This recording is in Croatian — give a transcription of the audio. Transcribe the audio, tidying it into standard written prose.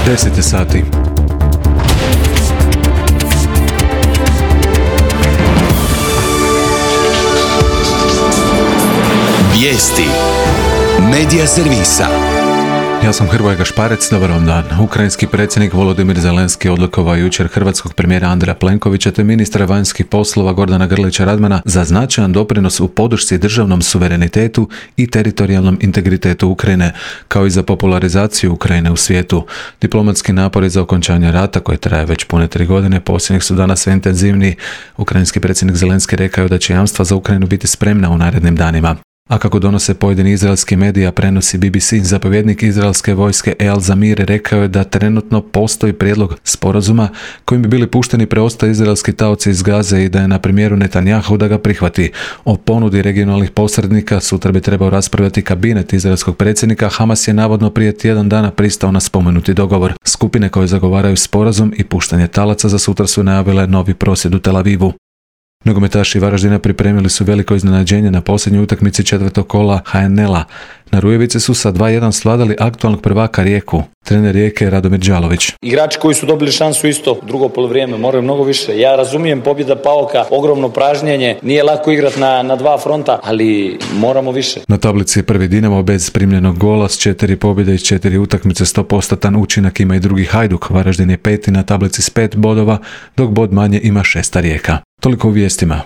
10 sati. Vijesti Medija servisa. Ja sam Hrvoje Gašparec, dobar vam dan. Ukrajinski predsjednik Volodimir Zelenski odlikovao jučer hrvatskog premijera Andreja Plenkovića te ministra vanjskih poslova Gordana Grlića Radmana za značajan doprinos u podršci državnom suverenitetu i teritorijalnom integritetu Ukrajine, kao i za popularizaciju Ukrajine u svijetu. Diplomatski napori za okončanje rata, koji traje već pune 3 godine, posljednjih su danas sve intenzivniji. Ukrajinski predsjednik Zelenski rekao da će jamstva za Ukrajinu biti spremna u narednim danima. A kako donose pojedini izraelski medija, prenosi BBC, zapovjednik izraelske vojske Eyal Zamir rekao je da trenutno postoji prijedlog sporazuma kojim bi bili pušteni preostali izraelski taoci iz Gaze i da je na premijeru Netanjahu da ga prihvati. O ponudi regionalnih posrednika sutra bi trebao raspravljati kabinet izraelskog predsjednika. Hamas je navodno prije tjedan dana pristao na spomenuti dogovor. Skupine koje zagovaraju sporazum i puštanje talaca za sutra su najavile novi prosvjed u Tel Avivu. Nogometaši Varaždina pripremili su veliko iznenađenje na posljednjoj utakmici četvrtog kola HNL-a. Na Rujevici su sa 2:1 svladali aktualnog prvaka Rijeku. Trener Rijeke je Radomir Đalović. Igrači koji su dobili šansu isto drugo poluvrijeme moraju mnogo više. Ja razumijem pobjeda Pauka, ogromno pražnjenje, nije lako igrati na dva fronta, ali moramo više. Na tablici je prvi Dinamo bez primljenog gola s 4 pobjede iz 4 utakmice, 100% učinak ima i drugi Hajduk. Varaždin je peti na tablici s 5 bodova, dok bod manje ima 6. Rijeka. Toliko u vijestima.